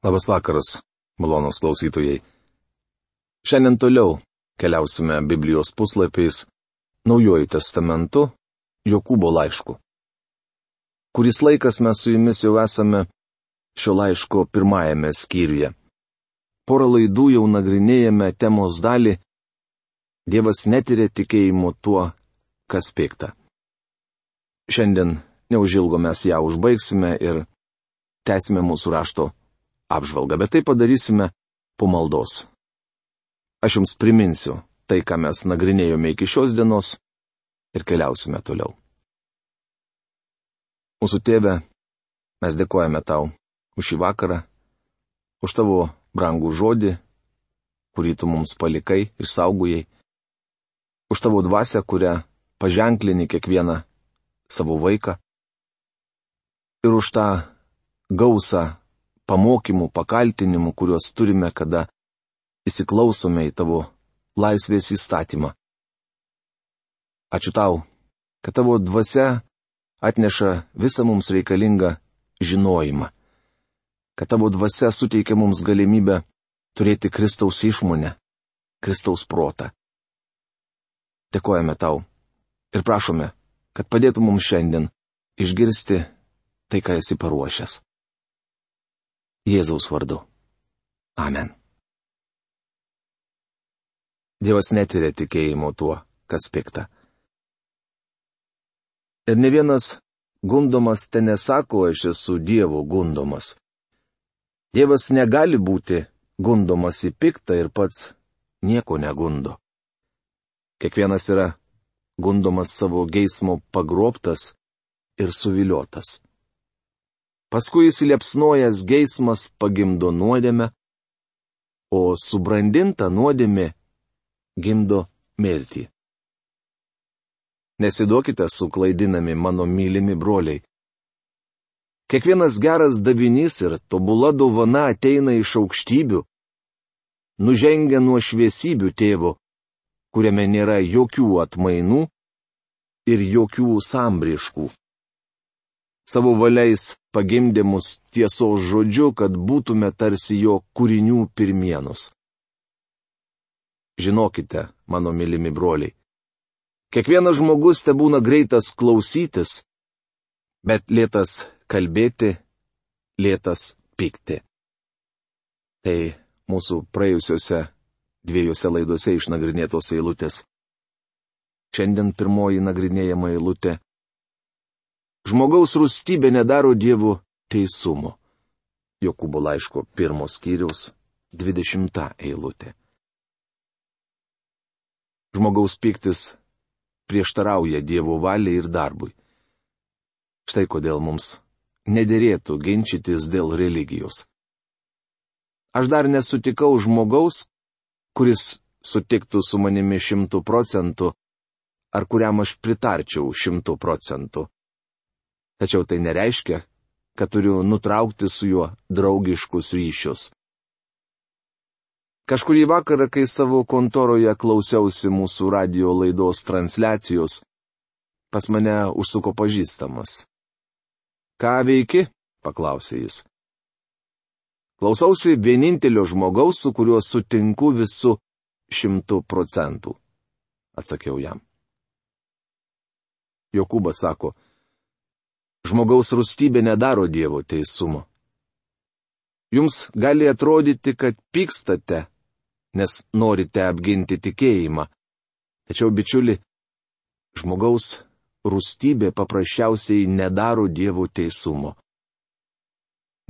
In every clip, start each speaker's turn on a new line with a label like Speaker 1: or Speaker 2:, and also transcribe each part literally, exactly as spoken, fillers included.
Speaker 1: Labas vakaras, malonūs klausytojai. Šiandien toliau keliausime Biblijos puslapiais Naujuoju testamentu, Jokūbo laišku. Kuris laikas mes su jumis jau esame šio laiško pirmajame skyriuje. Porą laidų jau nagrinėjame temos dalį Dievas netyrė tikėjimu tuo, kas pikta. Šiandien neužilgo mes ją užbaigsime ir tęsime mūsų rašto apžvalgą, bet tai padarysime po maldos. Aš jums priminsiu tai, ką mes nagrinėjome iki šios dienos ir keliausime toliau. Mūsų tėve, mes dėkojame tau už šį vakarą, už tavo brangų žodį, kurį tu mums palikai ir saugojai, už tavo dvasią, kurią paženklini kiekvieną savo vaiką, ir už tą gausą pamokymų, pakaltinimų, kuriuos turime, kada įsiklausome į tavo laisvės įstatymą. Ačiū tau, kad tavo dvasia atneša visą mums reikalingą žinojimą, kad tavo dvasia suteikia mums galimybę turėti Kristaus išmonę, Kristaus protą. Dėkojame tau ir prašome, kad padėtų mums šiandien išgirsti tai, ką esi paruošęs. Jėzaus vardu. Amen. Dievas netyrė tikėjimo tuo, kas pikta. Ir ne vienas gundomas te nesako, aš esu Dievo gundomas. Dievas negali būti gundomas į piktą ir pats nieko negundo. Kiekvienas yra gundomas savo geismo pagrobtas ir suviliotas. Paskui įsiliepsnojęs geismas pagimdo nuodėmę, o subrandinta nuodėmė gimdo mirtį. Nesiduokite suklaidinami, mano mylimi broliai. Kiekvienas geras davinys ir tobula dovana ateina iš aukštybių, nužengia nuo šviesybių tėvo, kuriame nėra jokių atmainų ir jokių sambriškų. Savo valiais pagimdė mus tiesos žodžiu, kad būtume tarsi jo kūrinių pirmienus. Žinokite, mano mylimi broliai, kiekvienas žmogus te būna greitas klausytis, bet lėtas kalbėti, lėtas pykti. Tai mūsų praėjusiuose dviejose laidose išnagrinėtos eilutės. Šiandien pirmoji nagrinėjama eilutė. Žmogaus rūstybė nedaro Dievo teisumo. Jokūbo laiško pirmo skyriaus dvidešimta eilutė. Žmogaus pyktis prieštarauja Dievo valiai ir darbui. Štai kodėl mums nederėtų ginčytis dėl religijos. Aš dar nesutikau žmogaus, kuris sutiktų su manimi šimtų procentų, ar kuriam aš pritarčiau šimtų procentų. Tačiau tai nereiškia, kad turiu nutraukti su juo draugiškus ryšius. Kažkurį vakarą, kai savo kontoroje klausiausi mūsų radio laidos transliacijos, pas mane užsuko pažįstamas. Ką veiki? Paklausė jis. Klausausi vienintelio žmogaus, su kuriuo sutinku visu šimtų procentų, atsakiau jam. Jokūbas sako, žmogaus rūstybė nedaro Dievo teisumo. Jums gali atrodyti, kad pykstate, nes norite apginti tikėjimą. Tačiau, bičiuli, žmogaus rūstybė paprasčiausiai nedaro Dievo teisumo.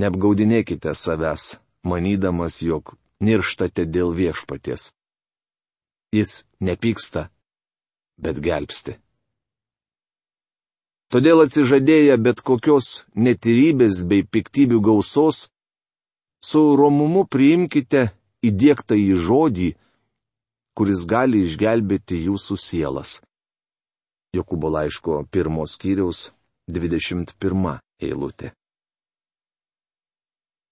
Speaker 1: Neapgaudinėkite savęs, manydamas, jog nirštate dėl viešpaties. Jis nepyksta, bet gelbsti. Todėl atsižadėję bet kokios netyrybės bei piktybių gausos, su romumu priimkite įdiegtą į žodį, kuris gali išgelbėti jūsų sielas. Jokūbo laiško pirmo skyriaus dvidešimt pirma eilutė.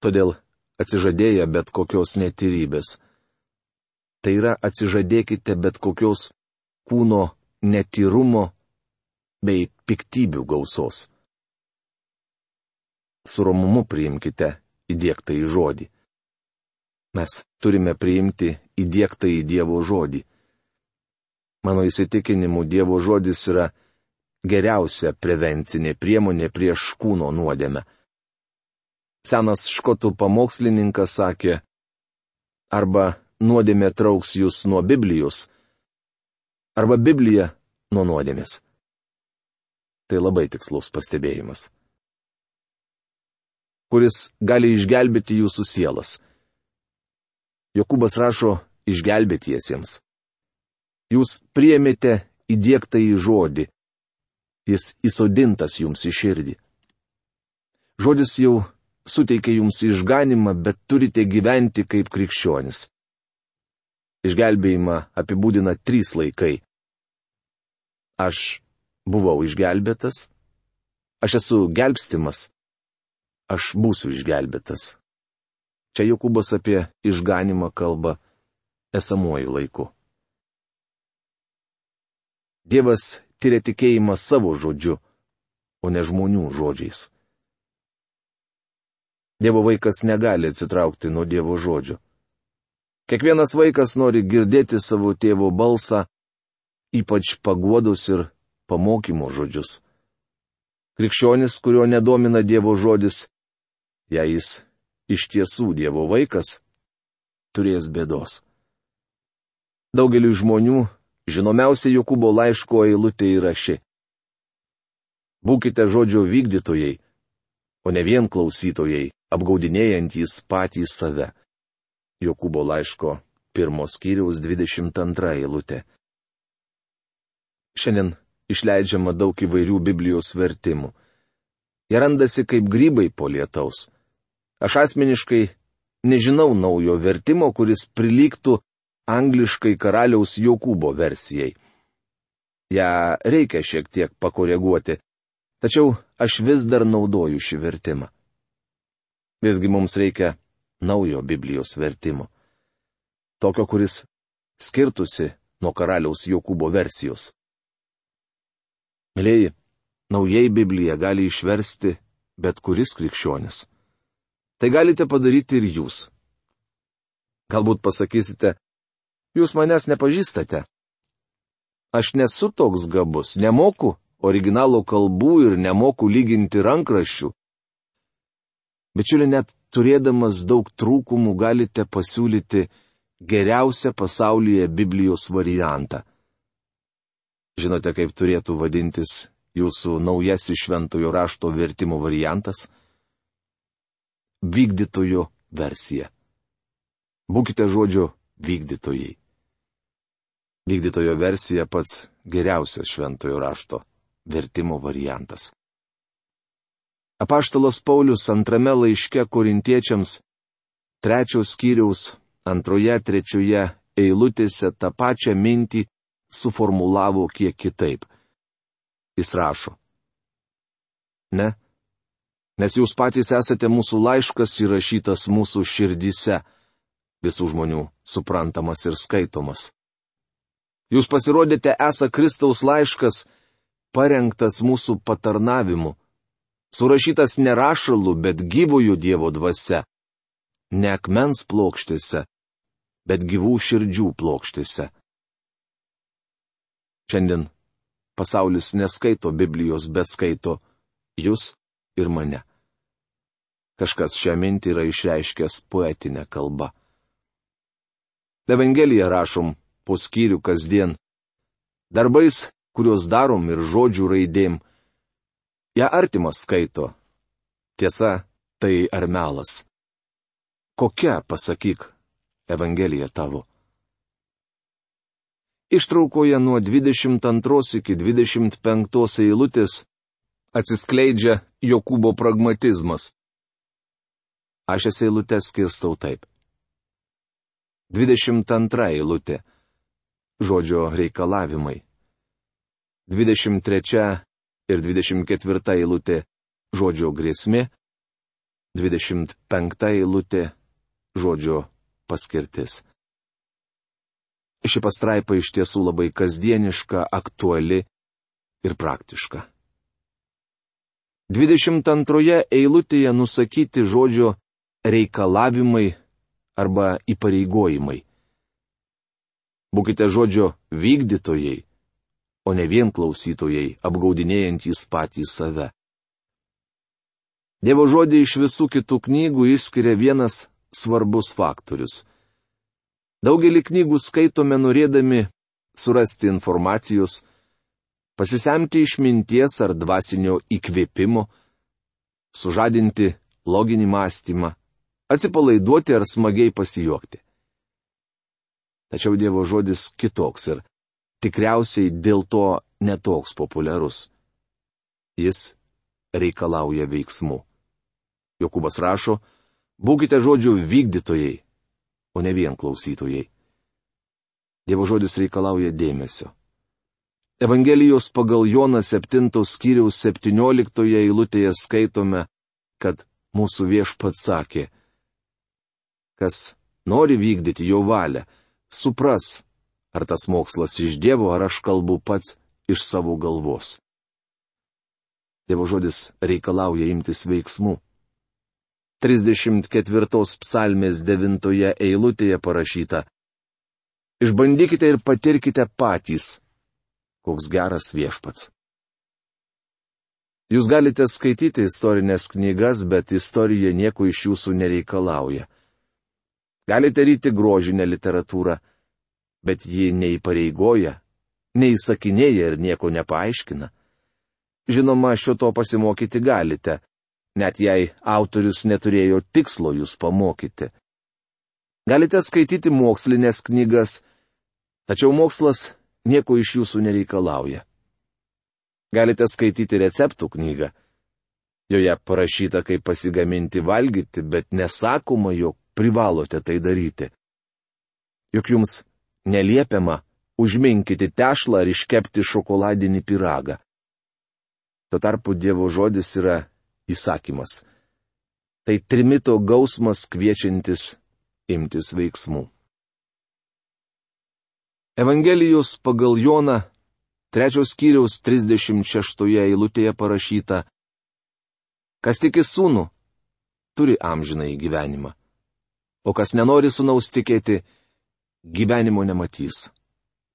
Speaker 1: Todėl atsižadėję bet kokios netyrybės. Tai yra atsižadėkite bet kokios kūno netyrumo bei piktybių gausos. Su romumu priimkite įdėktą į žodį. Mes turime priimti įdėktą į Dievo žodį. Mano įsitikinimu, Dievo žodis yra geriausia prevencinė priemonė prieš kūno nuodėmę. Senas škotų pamokslininkas sakė, arba nuodėmė trauks jūs nuo Biblijos, arba Biblija nuo nuodėmės. Tai labai tikslus pastebėjimas. Kuris gali išgelbėti jūsų sielas. Jokūbas rašo išgelbėtiesiems. Jūs priėmėte įdėktą į žodį. Jis įsodintas jums į širdį. Žodis jau suteikia jums išganimą, bet turite gyventi kaip krikščionis. Išgelbėjimą apibūdina trys laikai. Aš buvau išgelbėtas, aš esu gelbstimas, aš būsiu išgelbėtas. Čia Jokūbas apie išganimą kalba esamuoju laiku. Dievas tyria tikėjimą savo žodžiu, o ne žmonių žodžiais. Dievo vaikas negali atsitraukti nuo Dievo žodžio. Kiekvienas vaikas nori girdėti savo tėvo balsą, ypač paguodos ir pamokymo žodžius. Krikščionis, kurio nedomina Dievo žodis, jei jis iš tiesų Dievo vaikas, turės bėdos. Daugeliui žmonių žinomiausia Jokūbo laiško eilutė yra ši. Būkite žodžio vykdytojai, o ne vien klausytojai, apgaudinėjantys patys save. Jokūbo laiško pirmos skyriaus dvidešimt antra eilutė. Šiandien išleidžiama daug įvairių Biblijos vertimų. Jie randasi kaip grybai po lietaus. Aš asmeniškai nežinau naujo vertimo, kuris prilygtų angliškai karaliaus Jokūbo versijai. Ja reikia šiek tiek pakoreguoti, tačiau aš vis dar naudoju šį vertimą. Visgi mums reikia naujo Biblijos vertimo. Tokio, kuris skirtusi nuo karaliaus Jokūbo versijos. Mėlėjai, naujai Bibliją gali išversti bet kuris krikščionis. Tai galite padaryti ir jūs. Galbūt pasakysite, jūs manęs nepažįstate. Aš nesu toks gabus, nemoku originalo kalbų ir nemoku lyginti rankraščių. Bičiuli, net turėdamas daug trūkumų galite pasiūlyti geriausią pasaulyje Biblijos variantą. Žinote, kaip turėtų vadintis jūsų naujasis šventojo rašto vertimo variantas? Vykdytojo versija. Būkite žodžio vykdytojai. Vykdytojo versija pats geriausias šventojo rašto vertimo variantas. Apaštalas Paulius antrame laiške korintiečiams trečios skyriaus antroje trečioje eilutėse tą pačią mintį suformulavo kiek kitaip. Jis rašo: Ne, nes jūs patys esate mūsų laiškas įrašytas mūsų širdyse, visų žmonių suprantamas ir skaitomas. Jūs pasirodėte esą Kristaus laiškas, parengtas mūsų patarnavimu, surašytas ne rašalu, bet gyvojo Dievo dvasia, ne akmens plokštėse, bet gyvų širdžių plokštėse. Šiandien pasaulis neskaito Biblijos, bet skaito jūs ir mane. Kažkas šią mintį yra išreiškęs poetinę kalbą. Evangeliją rašom po skyrių kasdien, darbais, kuriuos darom ir žodžių raidėm. Ja artimas skaito. Tiesa, tai ar melas? Kokia, pasakyk, Evangelija tavo? Ištraukoje nuo dvidešimt antros iki dvidešimt penktos eilutės atsiskleidžia Jokūbo pragmatizmas. Aš šias eilutes skirstau taip. dvidešimt antra eilutė. Žodžio reikalavimai. dvidešimt trečia ir dvidešimt ketvirta eilutė. Žodžio grėsmė. dvidešimt penkta eilutė. Žodžio paskirtis. Ši pastraipa iš tiesų labai kasdieniška, aktuali ir praktiška. dvidešimt antroje eilutėje nusakyti žodžio reikalavimai arba įpareigojimai. Būkite žodžio vykdytojai, o ne vien klausytojai, apgaudinėjantys patys save. Dievo žodį iš visų kitų knygų išskiria vienas svarbus faktorius. Daugelį knygų skaitome norėdami surasti informacijos, pasisemti išminties ar dvasinio įkvėpimo, sužadinti loginį mąstymą, atsipalaiduoti ar smagiai pasijuokti. Tačiau Dievo žodis kitoks ir tikriausiai dėl to netoks populiarus. Jis reikalauja veiksmų. Jokūbas rašo, būkite žodžių vykdytojai, o ne vien klausytojai. Dievo žodis reikalauja dėmesio. Evangelijos pagal Joną septintos skyriaus septynioliktoje eilutėje skaitome, kad mūsų Viešpats sakė, kas nori vykdyti jo valią, supras, ar tas mokslas iš Dievo, ar aš kalbu pats iš savo galvos. Dievo žodis reikalauja imtis veiksmų. trisdešimt ketvirtos psalmės devintoje eilutėje parašyta: Išbandykite ir patirkite patys, koks geras Viešpats. Jūs galite skaityti istorinės knygas, bet istorija nieko iš jūsų nereikalauja. Galite ryti grožinę literatūrą, bet ji neįpareigoja, neįsakinėja ir nieko nepaaiškina. Žinoma, šio to pasimokyti galite, net jei autorius neturėjo tikslo jūs pamokyti. Galite skaityti mokslinės knygas, tačiau mokslas nieko iš jūsų nereikalauja. Galite skaityti receptų knygą. Joje parašyta, kaip pasigaminti valgyti, bet nesakoma, jog privalote tai daryti. Juk jums neliepiama užminkyti tešlą ar iškepti šokoladinį pyragą. Tuo tarpu Dievo žodis yra įsakymas. Tai trimito gausmas kviečiantis imtis veiksmų. Evangelijos pagal Joną trečios skyriaus trisdešimt šeštoje eilutėje parašyta: Kas tiki sūnų, turi amžinąjį gyvenimą, o kas nenori sūnaus tikėti, gyvenimo nematys.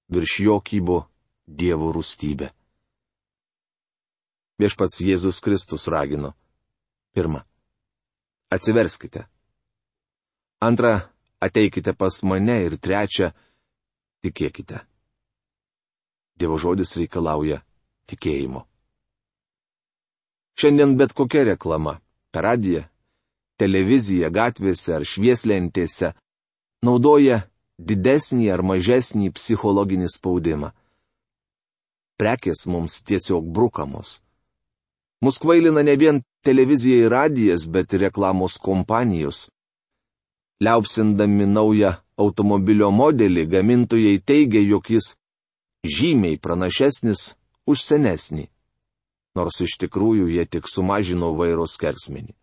Speaker 1: Virš jo kybo Dievo rūstybė. Viešpats Jėzus Kristus ragino: Pirma, atsiverskite. Antra, ateikite pas mane ir trečia, tikėkite. Dievo žodis reikalauja tikėjimo. Šiandien bet kokia reklama - per radiją, televiziją, gatvėse ar švieslentėse - naudoja didesnį ar mažesnį psichologinį spaudimą. Prekės mums tiesiog brukamos. Mus kvailina ne vien televizija ir radijas, bet ir reklamos kompanijos. Liaupsindami naują automobilio modelį, gamintojai teigia, jog jis žymiai pranašesnis už senesnį, nors iš tikrųjų jie tik sumažino vairo skersmenį.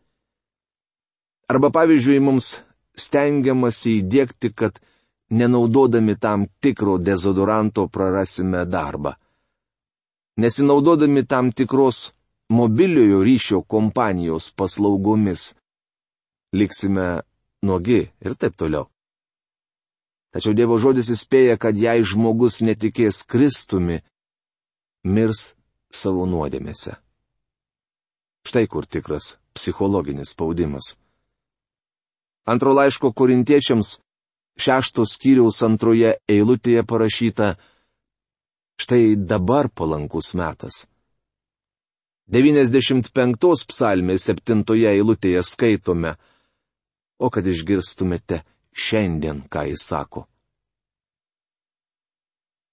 Speaker 1: Arba pavyzdžiui, mums stengiamasi įdiegti, kad nenaudodami tam tikro dezodoranto prarasime darbą. Nesinaudodami tam tikros mobiliojo ryšio kompanijos paslaugomis liksime nuogi ir taip toliau. Tačiau Dievo žodis įspėja, kad jei žmogus netikės Kristumi, mirs savo nuodėmėse. Štai kur tikras psichologinis spaudimas. Antro laiško korintiečiams šeštos skyriaus antroje eilutėje parašyta: Štai dabar palankus metas. devyniasdešimt penktos psalmės septintoje eilutėje skaitome: O kad išgirstumėte šiandien, ką jis sako.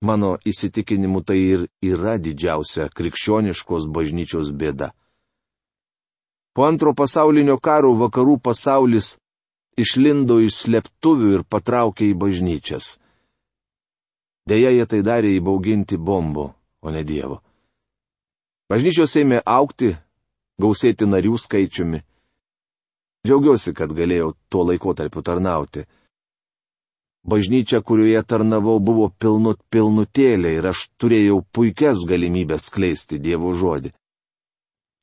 Speaker 1: Mano įsitikinimu tai ir yra didžiausia krikščioniškos bažnyčios bėda. Po antro pasaulinio karo vakarų pasaulis išlindo iš slėptuvių ir patraukė į bažnyčias. Deja, jie tai darė įbauginti bombo, o ne Dievo. Bažnyčios ėmė augti, gausėti narių skaičiumi. Džiaugiuosi, kad galėjau tuo laikotarpiu tarnauti. Bažnyčia, kurioje tarnavau, buvo pilnut pilnutėlė ir aš turėjau puikias galimybės skleisti Dievo žodį.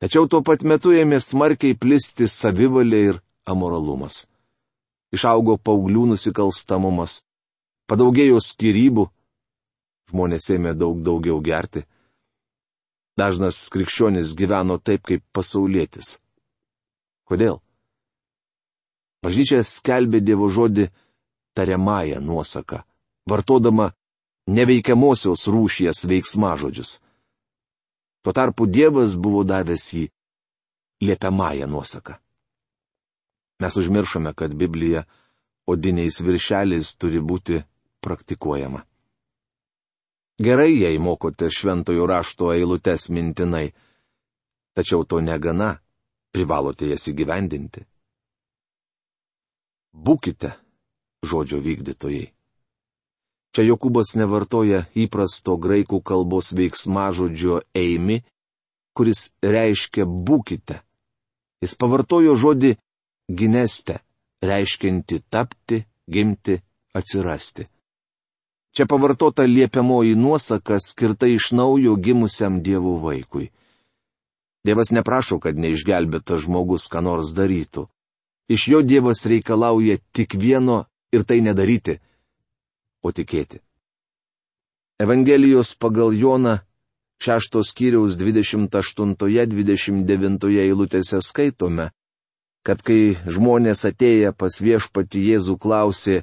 Speaker 1: Tačiau tuo pat metu ėmė smarkiai plisti savivalė ir amoralumas. Išaugo paauglių nusikalstamumas, padaugėjo skyrybų, žmonės ėmė daug daugiau gerti. Dažnas krikščionis gyveno taip, kaip pasaulietis. Kodėl? Bažnyčia skelbė Dievo žodį tariamąją nuosaką, vartodama neveikiamosios rūšies veiksmažodžius. Tuo tarpu Dievas buvo davęs jį liepiamąją nuosaką. Mes užmiršome, kad Biblija odiniais viršeliais turi būti praktikuojama. Gerai, jei mokote šventojo rašto eilutes mintinai, tačiau to negana, privalote jas įgyvendinti. Būkite žodžio vykdytojai. Čia Jokūbas nevartoja įprasto graikų kalbos veiksmažodžio eimi, kuris reiškia būkite. Jis pavartojo žodį gineste, reiškianti tapti, gimti, atsirasti. Čia pavartota liepiamoji nuosaka skirta iš naujo gimusiam Dievo vaikui. Dievas neprašo, kad neišgelbėtas žmogus ką nors darytų. Iš jo Dievas reikalauja tik vieno ir tai nedaryti, o tikėti. Evangelijos pagal Joną šeštos skyriaus dvidešimt aštuntoje dvidešimt devintoje eilutėse skaitome, kad kai žmonės atėję pas viešpatį Jėzų klausė,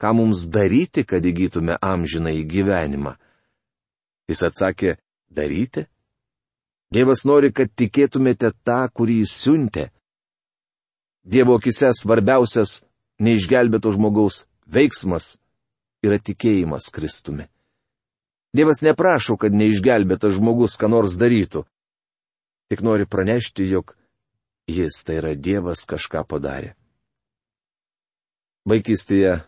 Speaker 1: ką mums daryti, kad įgytume amžinąjį gyvenimą. Jis atsakė, daryti? Dievas nori, kad tikėtumėte tą, kurį jis siuntė. Dievo akise svarbiausias neišgelbėto žmogaus veiksmas yra tikėjimas Kristumi. Dievas neprašo, kad neišgelbėtas žmogus ką nors darytų. Tik nori pranešti, jog jis, tai yra Dievas, kažką padarė. Vaikystėje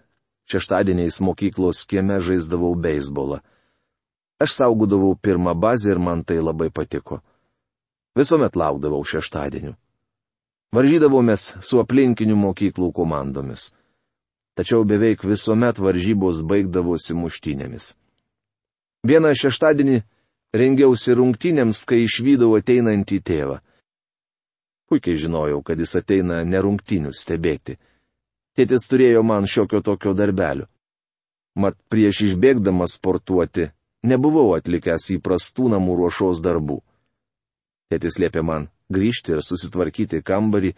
Speaker 1: šeštadieniais mokyklos kieme žaisdavau beisbolą. Aš saugodavau pirmą bazę ir man tai labai patiko. Visuomet laukdavau šeštadienių. Varžydavomės su aplinkinių mokyklų komandomis. Tačiau beveik visuomet varžybos baigdavosi muštynėmis. Vieną šeštadienį rengiausi rungtynėms, kai išvydau ateinantį tėvą. Puikiai žinojau, kad jis ateina ne rungtynių stebėti. Tėtis turėjo man šiokio tokio darbelio. Mat prieš išbėgdamas sportuoti nebuvau atlikęs įprastų namų ruošos darbų. Tėtis liepė man grįžti ir susitvarkyti kambarį,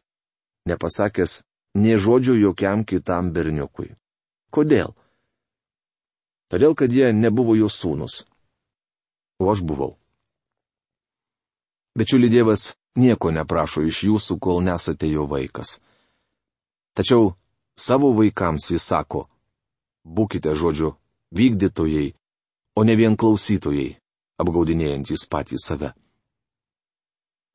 Speaker 1: nepasakęs nė žodžio jokiam kitam berniukui. Kodėl? Todėl, kad jie nebuvo jo sūnus. O aš buvau. Bičiuli, Dievas nieko neprašo iš jūsų, kol nesate jo vaikas. Tačiau savo vaikams jis sako, būkite žodžio vykdytojai, o ne vien klausytojai, apgaudinėjantys patys save.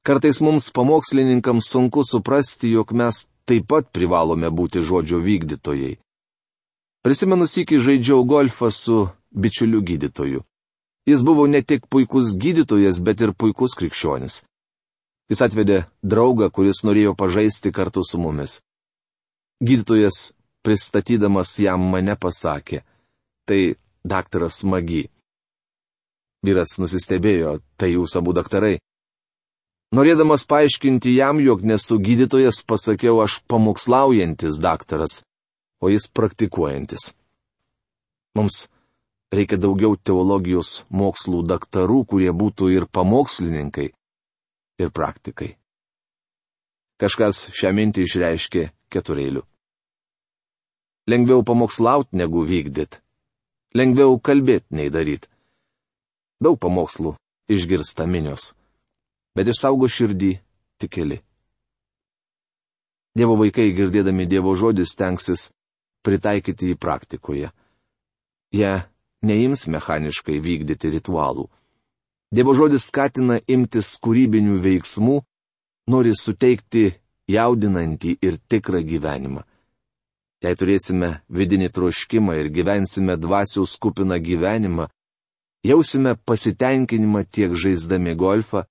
Speaker 1: Kartais mums pamokslininkams sunku suprasti, jog mes taip pat privalome būti žodžio vykdytojai. Prisimenu sykį žaidžiau golfą su bičiuliu gydytoju. Jis buvo ne tik puikus gydytojas, bet ir puikus krikščionis. Jis atvedė draugą, kuris norėjo pažaisti kartu su mumis. Gydytojas, pristatydamas jam mane, pasakė, tai daktaras Magi. Vyras nusistebėjo, tai jūs abu daktarai. Norėdamas paaiškinti jam, jog nesu gydytojas, pasakiau aš pamokslaujantis daktaras, o jis praktikuojantis. Mums reikia daugiau teologijos mokslų daktarų, kurie būtų ir pamokslininkai, ir praktikai. Kažkas šią mintį išreiškė ketureiliu. Lengviau pamokslauti negu vykdyt. Lengviau kalbėti nei daryti. Daug pamokslų išgirsta minios, bet išsaugo širdį tik keli. Dievo vaikai, girdėdami Dievo žodį, stengsis pritaikyti jį praktikoje. Jie neims mechaniškai vykdyti ritualų. Dievo žodis skatina imtis kūrybinių veiksmų, nori suteikti jaudinantį ir tikrą gyvenimą. Jei turėsime vidinį troškimą ir gyvensime dvasios kupiną gyvenimą, jausime pasitenkinimą tiek žaisdami golfą,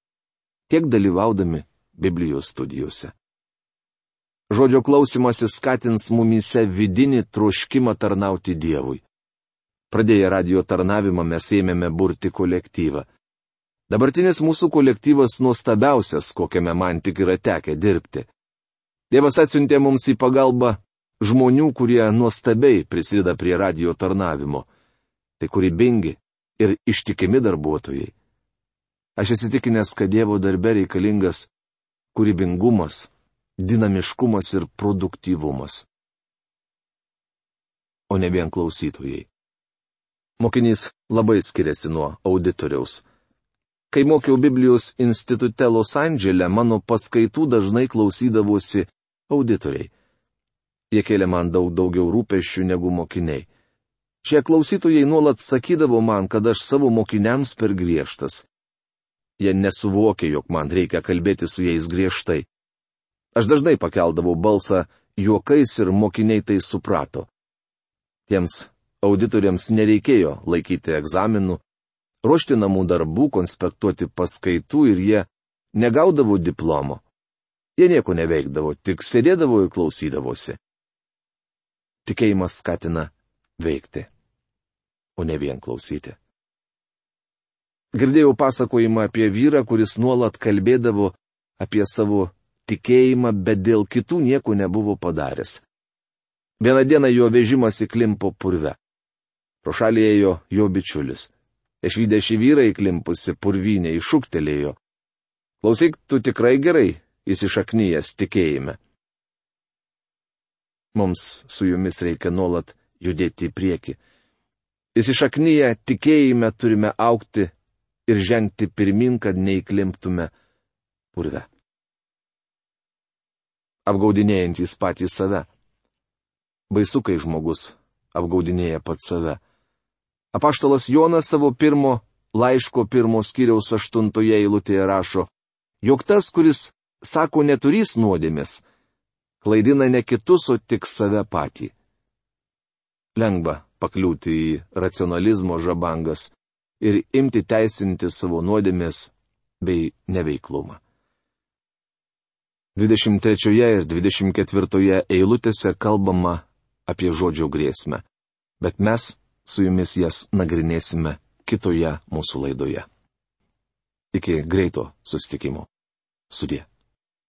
Speaker 1: tiek dalyvaudami Biblijos studijose. Žodžio klausymasis skatins mumyse vidinį troškimą tarnauti Dievui. Pradėję radio tarnavimą mes ėmėme burti kolektyvą. Dabartinis mūsų kolektyvas nuostabiausias, kokiame man tik yra tekę dirbti. Dievas atsiuntė mums į pagalbą žmonių, kurie nuostabiai prisideda prie radijo tarnavimo. Tai kūrybingi ir ištikimi darbuotojai. Aš įsitikinęs, kad Dievo darbe reikalingas kūrybingumas, dinamiškumas ir produktyvumas, o ne vien klausytojai. Mokinys labai skiriasi nuo auditoriaus. Kai mokiau Biblijos institute Los Andžele, mano paskaitų dažnai klausydavosi auditoriai. Jie kėlė man daug daugiau rūpesčių negu mokiniai. Šie klausytojai nuolat sakydavo man, kad aš savo mokiniams per griežtas. Jie nesuvokė, jog man reikia kalbėti su jais griežtai. Aš dažnai pakeldavau balsą juokais ir mokiniai tai suprato. Tiems auditoriams nereikėjo laikyti egzaminų, ruošti namų darbų, konspektuoti paskaitų ir jie negaudavo diplomo. Jie nieko neveikdavo, tik sėdėdavo ir klausydavosi. Tikėjimas skatina veikti, o ne vien klausyti. Girdėjau pasakojimą apie vyrą, kuris nuolat kalbėdavo apie savo tikėjimą, bet dėl kitų nieko nebuvo padaręs. Vieną dieną jo vežimas įklimpo purve. Pro šalį ėjo jo bičiulis. Išvydę šį vyrą įklimpusi purvynę iššūktelėjo. Klausyk, tu tikrai gerai įsišaknyjęs tikėjime. Mums su jumis reikia nuolat judėti į priekį. Įsišaknyję tikėjime turime augti ir žengti pirmin, kad neįklimptume purve. Apgaudinėjantys patys save. Baisu, kai žmogus apgaudinėja pats save. Apaštalas Jonas savo pirmo laiško pirmo skyriaus aštuntoje eilutėje rašo, jog tas, kuris sako neturys nuodėmės, klaidina ne kitus, o tik save patį. Lengva pakliūti į racionalizmo žabangas ir imti teisinti savo nuodėmės bei neveiklumą. dvidešimt trečioje ir dvidešimt ketvirtoje eilutėse kalbama apie žodžio grėsmę, bet mes su jumis jas nagrinėsime kitoje mūsų laidoje. Iki greito susitikimo. Sudie.